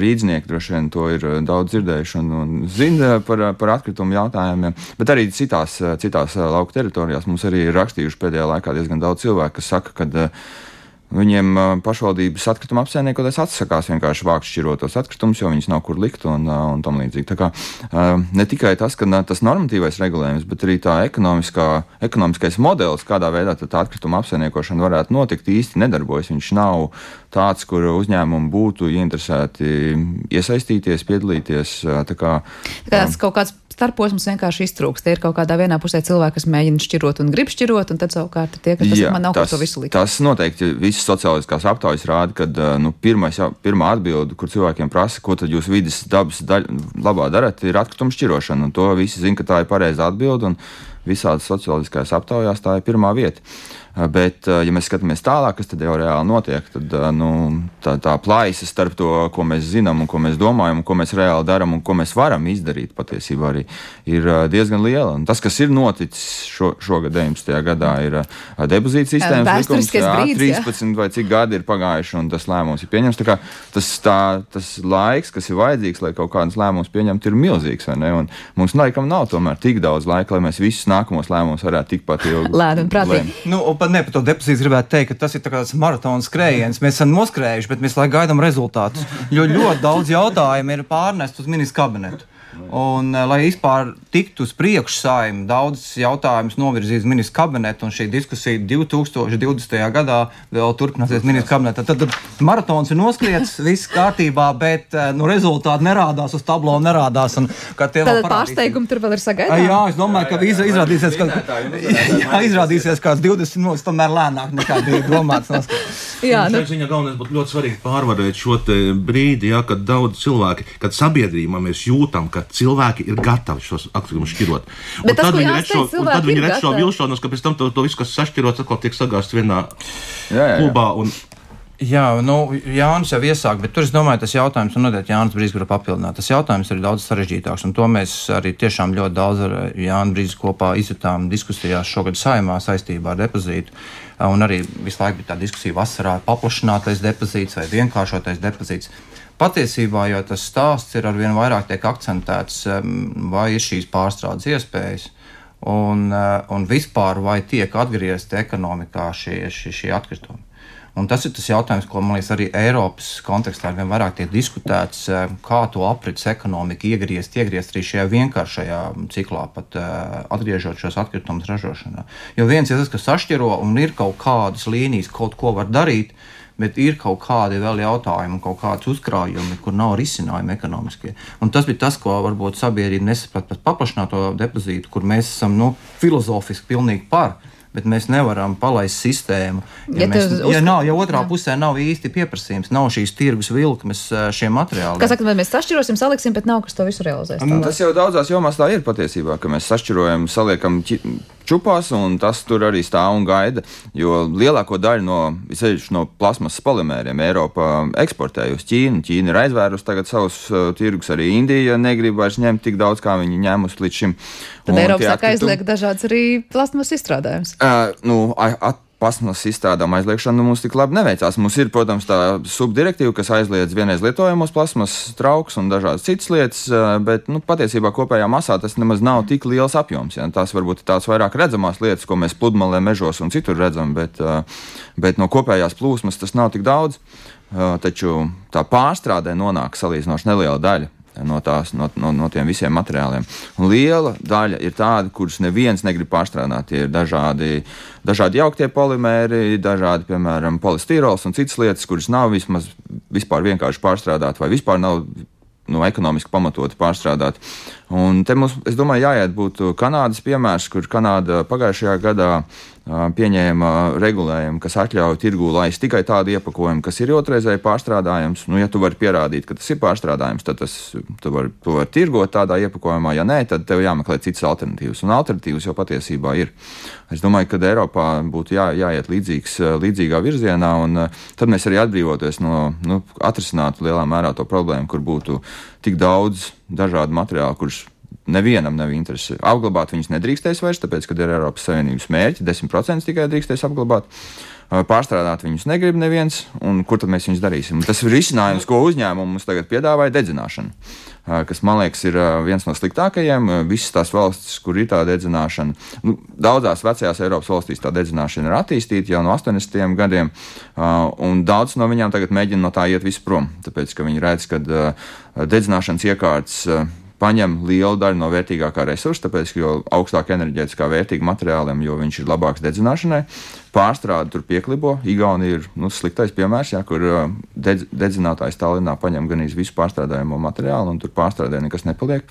Rīdznieki droši vien to ir daudz dzirdējuši un zina par atkritumu jautājumiem, bet arī citās lauku teritorijās mums arī ir rakstījuši pēdējā laikā diezgan daudz cilvēku, kas saka, ka viņiem pašvaldības atkrituma apsaimniekoties atsakās vienkārši vākt šķirotos atkritumus, jo viņus nav kur likt un tam līdzīgi. Tā kā ne tikai tas, ka tas normatīvais regulējums, bet arī tā ekonomiskais modelis, kādā veidā tā atkrituma apsaimniekošana varētu notikt, īsti nedarbojas. Viņš nav tāds, kur uzņēmumi būtu ieinteresēti iesaistīties, piedalīties. Tas kaut kāds starposms vienkārši iztrūkst. Tie ir kaut kādā vienā pusē cilvēki, kas mēģina šķirot un grib šķirot, un tad savukārt tie, kas man nav, ko to visu likt. Tas noteikti visas sociāliskās aptaujas rāda, kad pirmā atbilde, kur cilvēkiem prasa, ko tad jūs vides dabas labā darat, ir atkrituma šķirošana, un to visi zina, ka tā ir pareiza atbilde, un visādas sociāliskās aptaujās tā ir pirmā vieta. Bet, ja mēs skatāmies tālāk, kas tad jau reāli notiek, tad tā plaisa starp to, ko mēs zinām un ko mēs domājam, un ko mēs reāli darām un ko mēs varam izdarīt patiesībā arī ir diezgan liela. Un tas, kas ir noticis šogad 19. gadā, ir depozīta sistēmas likums, 13 vai cik gadi ir pagājuši, un tas lēmums ir pieņems. Tā kā tas laiks, kas ir vajadzīgs, lai kaut kādas lēmumus pieņemtu, ir milzīgs, vai ne? Un mums laikam nav tomēr tik daudz laika, lai mēs visus nākamos lēmumus varētu tikpat ilgi lēni un prātīgi. Par to depozītu gribētu teikt, ka tas ir tāds maratona skrējiens. Mēs esam noskrējuši, bet mēs gaidām rezultātus. Jo ļoti daudz jautājumu ir pārnest uz ministru kabinetu. Un, lai vispār tiktu uz priekšu Saeimu, daudz jautājumus novirzīs ministru kabinetu, un šī diskusija 2020. gadā vēl turpināsies ministru kabinetā. Tad maratons ir noskriets, viss kārtībā, bet rezultāti nerādās, uz tablo nerādās. Tad pārsteigumi tur vēl ir sagaidāmi? Jā, es domāju, ka izrādīsies kāds 20 minūtes, tomēr lēnāk nekā bija domāts noskriets. Šai ziņā galvenais būtu ļoti svarīgi pārvarēt šo brīdi, kad daudz cilvēki, kad sabiedrībā mēs jūtam, ka cilvēki ir gatavi šos atkritumus šķirot. Un tad viņi redz šo vilšanos, ka pēc tam to visu, kas sašķirots, atkal tiek sagāsts vienā klubā. Jā, Jānis jau iesāk, bet tur es domāju, tas jautājums, un noteikti Jānis Brīsks grib papildināt, tas jautājums ir daudz sarežģītāks, un to mēs arī tiešām ļoti daudz ar Jāni Brīsku kopā izjutām diskusijās šogad Saeimā saistībā ar depozītu, un arī visu laiku bija tā diskusija vasarā paplašinātais depozīts vai vienkāršotais depozīts. Patiesībā jau tas stāsts ir arvien vairāk tiek akcentēts, vai ir šīs pārstrādes iespējas, un vispār vai tiek atgriezti ekonomikā šie atkritumi. Un tas ir tas jautājums, ko, man liekas, arī Eiropas kontekstā vien vairāk tiek diskutēts, kā to aprits ekonomika iegriezt arī šajā vienkāršajā ciklā, pat atgriežot šos atkritumus ražošanā. Jo viens ir tas, kas sašķiro un ir kaut kādas līnijas, kaut ko var darīt, bet ir kaut kādi vēl jautājumi, kaut kāds uzkrājumi, kur nav risinājumi ekonomiskie. Un tas bija tas, ko varbūt sabiedrība nesaprat par paplašināto depozītu, kur mēs esam filozofiski pilnīgi par. Bet mēs nevaram palaist sistēmu, ja otrā pusē nav īsti pieprasījums, nav šīs tirgus vilkmes šiem materiāliem. Kā saka, mēs sašķirosim, saliksim, bet nav kas to visu realizēs. Tas jau daudzās jomās tā ir patiesībā, ka mēs sašķirojam, saliekam čupās, un tas tur arī stāv un gaida, jo lielāko daļu no plasmasas polimēriem Eiropa eksportē uz Ķīnu. Ķīna ir aizvērus tagad savus tirgus, arī Indija negrib vairs ņemt tik daudz, kā viņi ņēmus līdz šim. Tad Eiropa saka aizliek dažādas arī plasmasas izstrādājumus. Plasmasas izstrādājumu aizliekšana mums tik labi neveicās. Mums ir, protams, tā subdirektīva, kas aizliedz vienreiz lietojamos plasmasas traukus un dažādas citas lietas, bet patiesībā kopējā masā tas nemaz nav tik liels apjoms. Ja? Tās varbūt ir tās vairāk redzamās lietas, ko mēs pludmalē, mežos un citur redzam, bet no kopējās plūsmas tas nav tik daudz. Taču tā pārstrādē nonāk salīdzinoši neliela daļa no tiem visiem materiāliem. Un liela daļa ir tāda, kurus neviens negrib pārstrādāt. Tie ir dažādi jauktie polimēri, dažādi, piemēram, polistīrols un citas lietas, kuras nav vispār vienkārši pārstrādāt vai vispār nav ekonomiski pamatoti pārstrādāt. Un te mums, es domāju, jāiet būtu Kanādas piemērs, kur Kanāda pagājušajā gadā pieņēma regulējumu, kas atļauj tirgū laist tikai tādu iepakojumu, kas ir otrreizēji pārstrādājams. Ja tu vari pierādīt, ka tas ir pārstrādājams, tad tu vari tirgot tādā iepakojumā. Ja nē, tad tev jāmeklē citas alternatīvas. Un alternatīvas jau patiesībā ir. Es domāju, ka Eiropā būtu jāiet līdzīgā virzienā, un tad mēs arī atbrīvoties atrisinātu lielā mērā to problēmu, kur būtu tik daudz dažādu materiālu, kurus nevienam nav interesi. Apglabāt viņus nedrīkstēs vairs, tāpēc, kad ir Eiropas Savienības mērķi, 10% tikai drīkstēs apglabāt. Pārstrādāt viņus negrib neviens, un kur tad mēs viņus darīsim? Un tas ir risinājums, ko uzņēmumi mums tagad piedāvāja, dedzināšana, kas, man liekas, ir viens no sliktākajiem. Visas tās valstis, kur ir tā dedzināšana, daudzās vecajās Eiropas valstīs tā dedzināšana ir attīstīta jau no 80. gadiem, un daudz no viņām tagad mēģina no tā iet visu prom, tāpēc, ka viņi redz, ka dedzināšanas iekārtas paņem lielu daļu no vērtīgākā resursa, tāpēc, ka jo augstāk enerģētiskā vērtīga materiāliem, jo viņš ir labāks dedzināšanai. Pārstrāde tur pieklibo. Igaunija ir sliktais piemērs, kur dedzinātājs Tallinā paņem gan visu pārstrādājumu materiālu, un tur pārstrādē nekas nepaliek.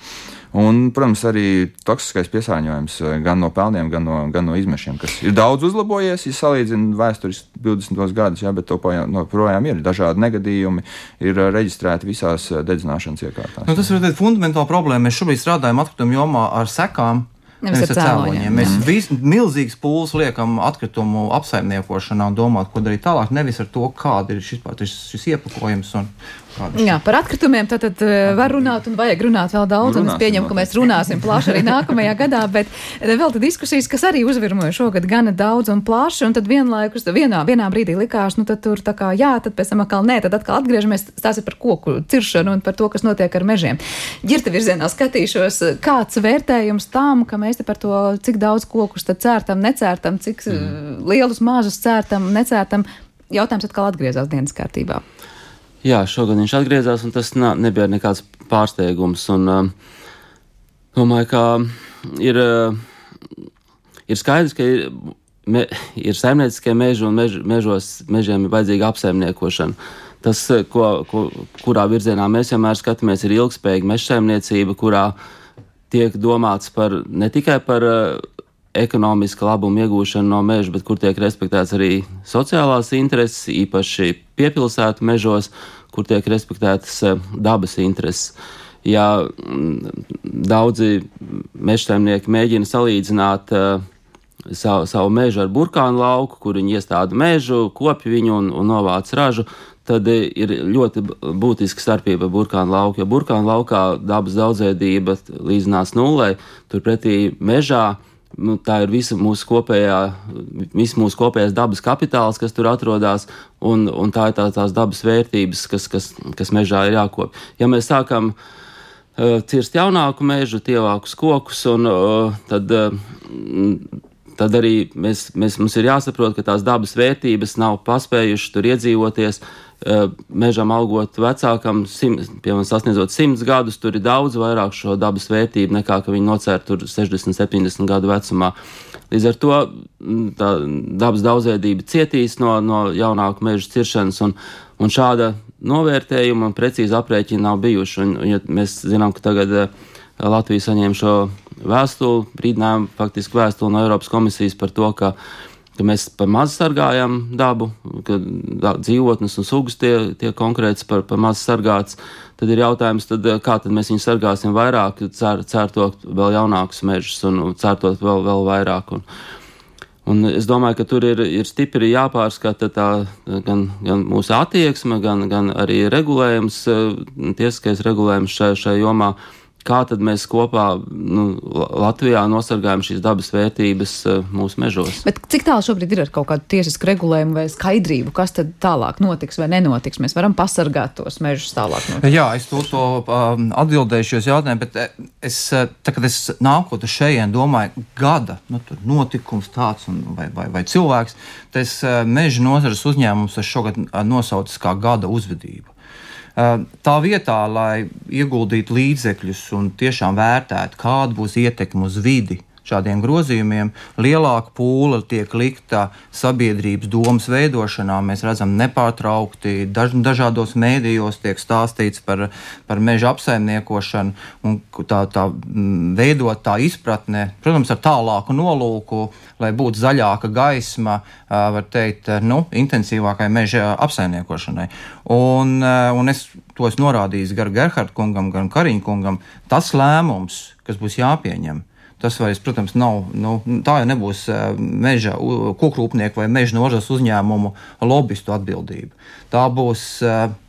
Un, protams, arī toksiskais piesārņojums gan no pelniem, gan no izmešiem, kas ir daudz uzlabojies, ja salīdzina vēsturiski 20. gadus, bet to projām ir dažādi negadījumi, ir reģistrēti visās dedzināšanas iekārtās. Tas ir fundamentāla problēma. Mēs šobrīd strādājam atkritumu jomā ar sekām. Nevis ar cēloņiem. Mēs milzīgas pūles liekam atkritumu apsaimniekošanā un domāt, ko darīt tālāk, nevis ar to, kāda ir šis iepakojums un Jā, par atkritumiem tad var runāt un vajag runāt vēl daudz, un es pieņemu, ka mēs runāsim plaši arī nākamajā gadā, bet vēl tad diskusijas, kas arī uzvirmoja šogad gana daudz un plaši, un tad vienlaikus vienā brīdī likās, tad tur tā kā jā, tad pēc tam atkal nē, tad atkal atgriežamies, tās ir par koku ciršanu un par to, kas notiek ar mežiem. Ģirta virzienā skatīšos, kāds vērtējums tam, ka mēs te par to, cik daudz kokus tad cērtam, necērtam, cik lielus mažus cērtam, necērtam, jautājums atkal atgriezās dienas kārtībā. Jā, šogad viņš atgriezās, un tas nebija nekāds pārsteigums. Un, domāju, ka ir skaidrs, ka ir saimnieciskie meži, un mežiem ir vajadzīga apsaimniekošana. Tas, kurā virzienā mēs vienmēr skatāmies, ir ilgspējīga mežsaimniecība, kurā tiek domāts ne tikai par ekonomiska labuma iegūšanu no meža, bet kur tiek respektēts arī sociālās intereses, īpaši piepilsētu mežos, kur tiek respektētas dabas intereses. Ja daudzi mežsaimnieki mēģina salīdzināt savu mežu ar burkānu lauku, kur viņi iestāda mežu, kopja viņu un novāc ražu, tad ir ļoti būtiska starpība burkānu lauku, jo burkānu laukā dabas daudzveidība līdzinās nullei, turpretī mežā tā ir visa mūsu kopējās dabas kapitāls, kas tur atrodas, un tā ir tās dabas vērtības, kas mežā ir jākopja. Ja mēs sākam cirst jaunāku mežu, tievākus kokus, tad tad arī mums ir jāsaprot, ka tās dabas vērtības nav paspējušas tur iedzīvoties. Mežam augot vecākam, piemēram, sasniedzot 100 gadus, tur ir daudz vairāk šo dabas vērtību nekā, ka viņi nocēr tur 60, 70 gadu vecumā. Līdz ar to tā dabas daudzveidība cietīs no jaunāku mežu ciršanas, un šāda novērtējuma un precīza aprēķina nav bijuši. Un, ja mēs zinām, ka tagad Latvija saņēma šo vēstuli, brīdinājumu, faktiski vēstuli no Eiropas komisijas par to, ka mēs par maz sargājam dabu, ka dzīvotnes un sugas tie konkrēts par maz sargāts, tad ir jautājums, kā tad mēs viņu sargāsim vairāk, cērtot vēl jaunākus mežus un cērtot vēl vairāk. Un es domāju, ka tur ir stipri jāpārskata gan mūsu attieksme, gan arī regulējums, tiesiskais regulējums šajā jomā. Kā tad mēs kopā Latvijā nosargājam šīs dabas vērtības mūsu mežos? Bet cik tālu šobrīd ir ar kaut kādu tiesisku regulējumu vai skaidrību, kas tad tālāk notiks vai nenotiks? Mēs varam pasargāt tos mežus tālāk notiks. Jā, es to atbildēšu uz jautājumu, bet kad es nākot uz šejien domāju gada notikums tāds vai cilvēks, tas meža nozares uzņēmums es šogad nosaucis kā gada uzvedību. Tā vietā, lai ieguldītu līdzekļus un tiešām vērtētu, kāda būs ietekme uz vidi šādiem grozījumiem, lielāka pūle tiek likta sabiedrības domas veidošanā. Mēs redzam nepārtraukti, dažādos mēdījos tiek stāstīts par meža apsaimniekošanu un tā veidot tā izpratne, protams, ar tālāku nolūku, lai būtu zaļāka gaisma, var teikt, intensīvākai meža apsaimniekošanai. Un es to esmu norādījis gan Gerharda kungam, gan Kariņa kungam. Tas lēmums, kas būs jāpieņem, tas vairs, protams, nav, tā jau nebūs meža kokrūpnieku vai meža nozares uzņēmumu lobistu atbildība. Tā būs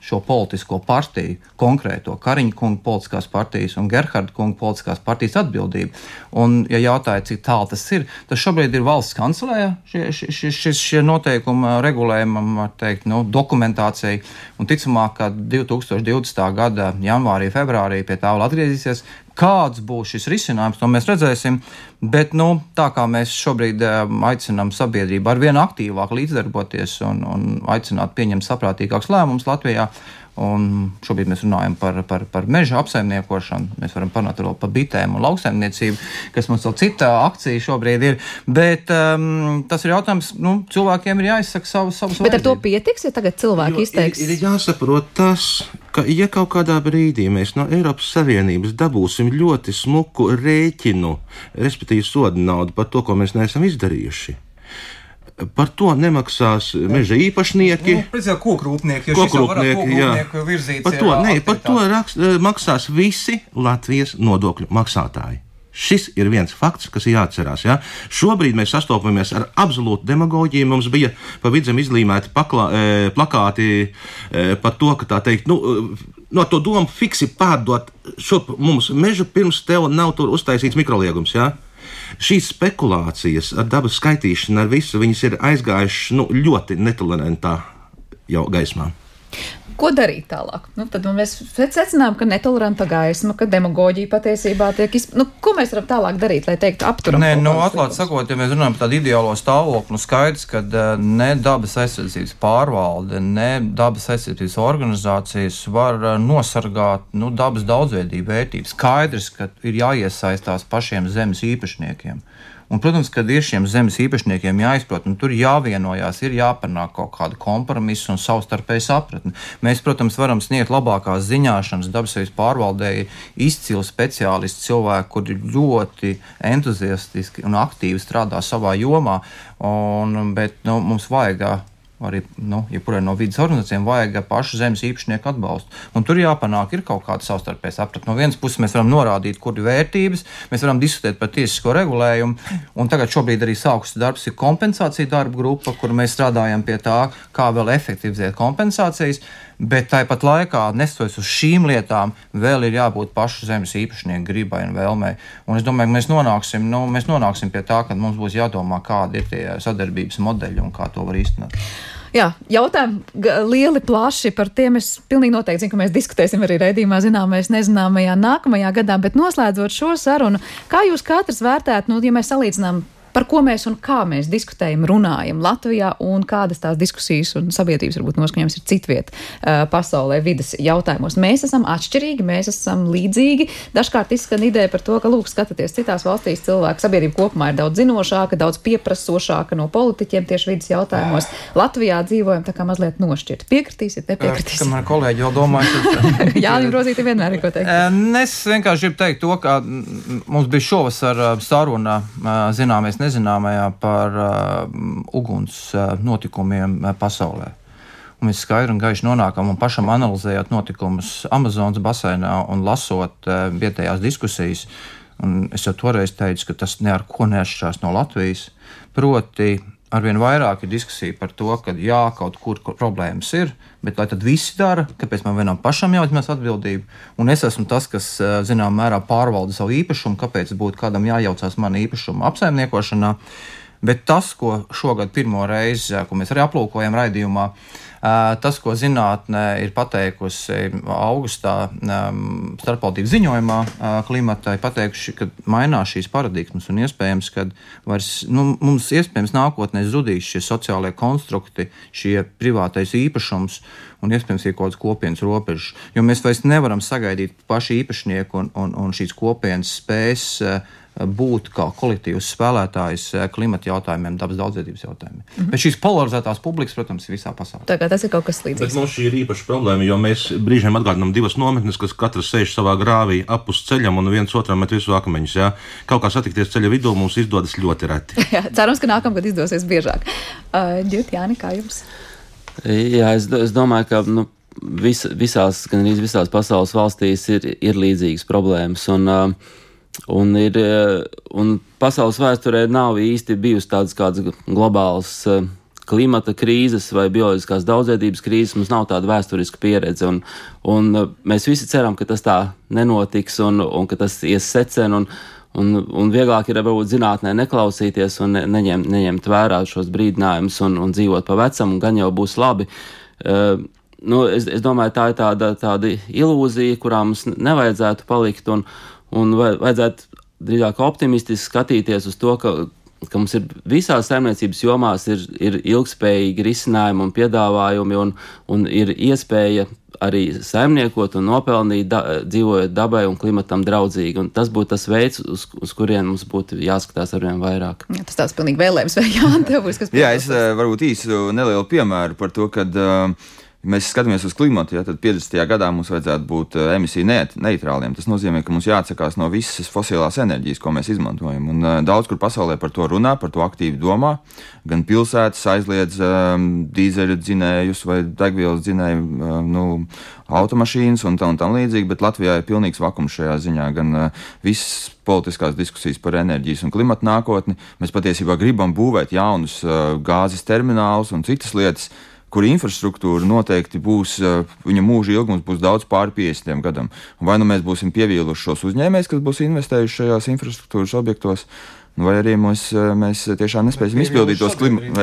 šo politisko partiju, konkrēto Kariņa kunga politiskās partijas un Gerharda kunga politiskās partijas atbildība. Un, ja jautāja, cik tālu tas ir, tas šobrīd ir valsts kancelējā šie noteikumi regulējumam, var teikt, dokumentācija. Un ticamāk, ka 2020. gada janvārī, februārī pie tā vēl atgriezīsies. Kāds būs šis risinājums, to mēs redzēsim, bet tā kā mēs šobrīd aicinām sabiedrību ar vien aktīvāk līdzdarboties un aicināt pieņemt saprātīgākus lēmumus Latvijā, un šobrīd mēs runājam par meža apsaimniekošanu, mēs varam parunāt vēl par bitēm un lauksaimniecību, kas mums vēl cita akcija šobrīd ir, bet tas ir jautājums, cilvēkiem ir jāizsaka savas vajadzības. Bet ar to pietiks, ja tagad cilvēki izteiks? Ir jāsaprot tas, ka ja kaut kādā brīdī mēs no Eiropas Savienības dabūsim ļoti smuku rēķinu, respektīvi soda naudu par to, ko mēs neesam izdarījuši, par to nemaksās meža īpašnieki. Kokrūpnieki, virzīts. Par to maksās visi Latvijas nodokļu maksātāji. Šis ir viens fakts, kas ir jāatcerās. Ja? Šobrīd mēs sastopamies ar absolūtu demagoģiju. Mums bija pa vidzem izlīmēti plakāti par to, ka tā teikt, no to domu fiksi pārdot šurp mums mežu pirms tev nav tur uztaisīts mikroliegums. Ja? Šīs spekulācijas ar dabas skaitīšanu, ar visu, viņas ir aizgājušas ļoti netolerantā jau gaismā. Ko darīt tālāk? Tad mēs secinām, ka netoleranta gaisma, ka demagoģija patiesībā tiek ko mēs varam tālāk darīt, lai teiktu apturam? Atklāt sakot, ja mēs runājam par tādu ideālo stāvokli, skaidrs, ka ne dabas aizsardzības pārvalde, ne dabas aizsardzības organizācijas var nosargāt dabas daudzveidību vērtības. Skaidrs, ka ir jāiesaistās pašiem zemes īpašniekiem. Un, protams, kad ir šiem zemes īpašniekiem jāizprot, un tur jāvienojās, ir jāpanāk kaut kāda kompromisa un savstarpēja sapratne. Mēs, protams, varam sniegt labākās ziņāšanas, dabas pārvaldē ir izcili speciālisti cilvēki, kuri ļoti entuziastiski un aktīvi strādā savā jomā, bet mums vajag arī, jebkurai no vidas organizācijām vajag pašu zemes īpašnieku atbalstu. Un tur jāpanāk ir kaut kāda savstarpēja sapratne. No vienas puses mēs varam norādīt, kur ir vērtības, mēs varam diskutēt par tiesisko regulējumu, un tagad šobrīd arī sākusi darbs ir kompensācija darba grupa, kur mēs strādājam pie tā, kā vēl efektivizēt kompensācijas, bet tāpat laikā, nestoties uz šīm lietām, vēl ir jābūt pašu zemes īpašnieku gribai un vēlmei. Un es domāju, ka mēs nonāksim pie tā, ka mums būs jādomā, kādi ir tie sadarbības modeļi un kā to var īstenot. Jā, jautājumi lieli, plaši, par tiem es pilnīgi noteikti zinu, ka mēs diskutēsim arī raidījumā zināmais nezināmajā nākamajā gadā, bet noslēdzot šo sarunu, kā jūs katrs vērtētu, ja mēs salīdzinām par ko mēs un kā mēs diskutējam, runājam Latvijā un kādas tās diskusijas un sabiedrības varbūt noskaņojums ir citviet pasaulē vides jautājumos. Mēs esam atšķirīgi, mēs esam līdzīgi. Dažkārt izskan ideja par to, ka, lūk, skatoties citās valstīs, cilvēku sabiedrība kopumā ir daudz zinošāka, daudz pieprasošāka no politiķiem tieši vides jautājumos. Latvijā dzīvojam tā kā mazliet nošķirt. Piekritīsiet, nepiekritīsiet? Kamēr kolēģi vēl domāju, Jānim Rozīti vienmēr ir ko teikt. Es vienkārši gribu teikt to, ka mums bija šovasar saruna zināmies nezināmajā par uguns notikumiem pasaulē. Un mēs skaidri un gaiši nonākam un pašam analizējot notikumus Amazonas baseinā un lasot vietējās diskusijas. Un es jau toreiz teicu, ka tas ne ar ko neatšķirās no Latvijas. Proti, arvien vairāk ir diskusija par to, ka jā, kaut kur problēmas ir, bet lai tad visi dara, kāpēc man vienam pašam jāuzņemas atbildību. Un es esmu tas, kas, zinām, mērā pārvalda savu īpašumu, kāpēc būtu kādam jājaucās mana īpašuma apsaimniekošanā. Bet tas, ko šogad pirmo reizi, ko mēs arī aplūkojam raidījumā, tas, ko zinātne ir pateikusi augustā starpvaldību ziņojumā klimatai, pateikuši, ka mainās šīs paradigmas un iespējams, ka mums iespējams nākotnē zudīs šie sociālie konstrukti, šie privātais īpašums un iespējams ir kaut kāds kopienas robežs. Jo mēs vairs nevaram sagaidīt paši īpašnieku un šīs kopienas spējas būt kā kolektīvs spēlētājs klimata jautājumiem, dabas daudzveidības jautājumiem. Bet šīs polarizētās publikas, protams, ir visā pasaulē. Tā kā tas ir kaut kas līdzīgs. Bet mums šī ir īpaša problēma, jo mēs brīžiem atgādinām divas nometnes, kas katrs sēž savā grāvī apus ceļam un viens otram met visu akmeņus. Jā. Kaut kā satikties ceļa vidū mums izdodas ļoti reti. Jā, cerams, ka nākamgad izdosies biežāk. Jāni, kā jums? Jā, es domāju, ka gan arī visās pasaules valstīs ir līdzīgas problēmas. Un pasaules vēsturē nav īsti bijusi tādas kādas globālas klimata krīzes vai bioloģiskās daudzveidības krīzes. Mums nav tāda vēsturiska pieredze. Un mēs visi ceram, ka tas tā nenotiks un ka tas ies secen. Un vieglāk ir varbūt zinātnē neklausīties un neņemt vērā šos brīdinājumus un dzīvot pa vecam, un gan jau būs labi. Es domāju, tā ir tāda ilūzija, kurā mums nevajadzētu palikt un vajadzētu drīzāk optimistiski skatīties uz to, ka mums ir visās saimniecības jomās ir ilgspējīgi risinājumi un piedāvājumi un ir iespēja arī saimniekot un nopelnīt, dzīvojot dabai un klimatam draudzīgi. Un tas būtu tas veids, uz kurien mums būtu jāskatās arvien vairāk. Jā, tas tāds pilnīgi vēlējums, vai Jāni, tev būs kas Jā, es varbūt īsu nelielu piemēru par to, kad mēs skatāmies uz klimatu, ja, tad 50. gadā mums vajadzētu būt emisiju neitrāliem. Tas nozīmē, ka mums jāatsakās no visas fosilās enerģijas, ko mēs izmantojam. Un daudz kur pasaulē par to runā, par to aktīvi domā. Gan pilsētas aizliedz dīzeļu dzinējus vai degvielas dzinēju automašīnas un tam līdzīgi, bet Latvijā ir pilnīgs vakums šajā ziņā. Gan visas politiskās diskusijas par enerģijas un klimata nākotni. Mēs patiesībā gribam būvēt jaunus gāzes terminālus un citas lietas, kur infrastruktūra noteikti būs, viņa mūža ilgums būs daudz pāri 50 gadam. Vai nu mēs būsim pievīluši šos uzņēmējus, kas būs investējuši šajās infrastruktūras objektos, vai arī mēs tiešām nespēsim izpildīt tos klimatu.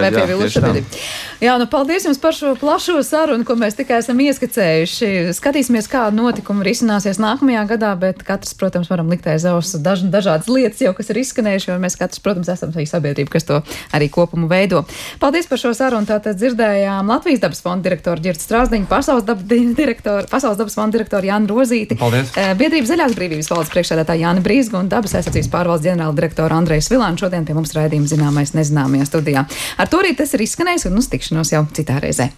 Jā, paldies jums par šo plašo sarunu, ko mēs tikai esam ieskicējuši. Skatīsimies, kā notikumi risināsies nākamajā gadā, bet katrs, protams, varam likt aiz auss dažādas lietas jau, kas ir izskanējuši, jo mēs katrs, protams, esam arī sabiedrība, kas to arī kopumu veido. Paldies par šo sarunu. Tātad dzirdējām Latvijas dabas fonda direktoru Ģirtu Strāzdiņu, Pasaules dabas fonda direktoru Jāni Rozīti, Biedrības Zaļās brīvības valdes priekšsēdētāju Jāni Brīzgu un dabas aizsardzības pārvaldes ģenerāla direktoru Andreju Svilānu šodien pie mums raidījuma Zināmais nezināmajā studijā. Ar to arī tas ir izskanējis un uz tikšanos jau citā reizē.